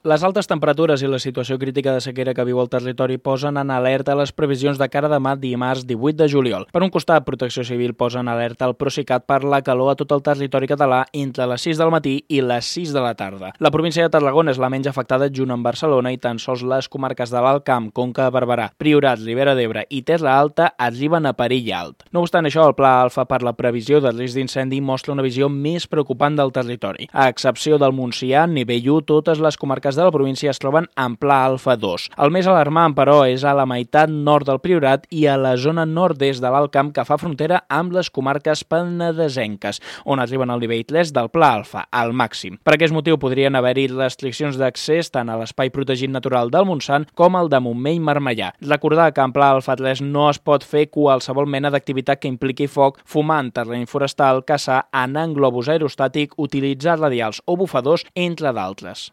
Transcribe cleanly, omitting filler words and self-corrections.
Les altes temperatures i la situació crítica de sequera que viu el territori posen en alerta les previsions de cara a demà dimarts 18 de juliol. Per un costat, Protecció Civil posa en alerta el Procicat per la calor a tot el territori català entre les 6 del matí i les 6 de la tarda. La província de Tarragona és la menys afectada junt amb Barcelona i tan sols les comarques de l'Alt Camp, Conca de Barberà, Priorat, Ribera d'Ebre i Terra Alta arriben a perill alt. No obstant això, el Pla Alfa per la previsió de risc d'incendi mostra una visió més preocupant del territori. A excepció del Montsià, nivell 1, totes les comarques de la província es troben en Pla Alfa 2. El més alarmant, però, és a la meitat nord del Priorat i a la zona nord-est de l'Alt Camp que fa frontera amb les comarques penedesenques, on arriben al nivell 3 del Pla Alfa, al màxim. Per aquest motiu podrien haver-hi restriccions d'accés tant a l'espai protegit natural del Montsant com al de Montmell-Marmellà. Recordar que en Pla Alfa 3 no es pot fer qualsevol mena d'activitat que impliqui foc, fumar en terreny forestal, caçar, anar en globus aerostàtic, utilitzar radials o bufadors, entre d'altres.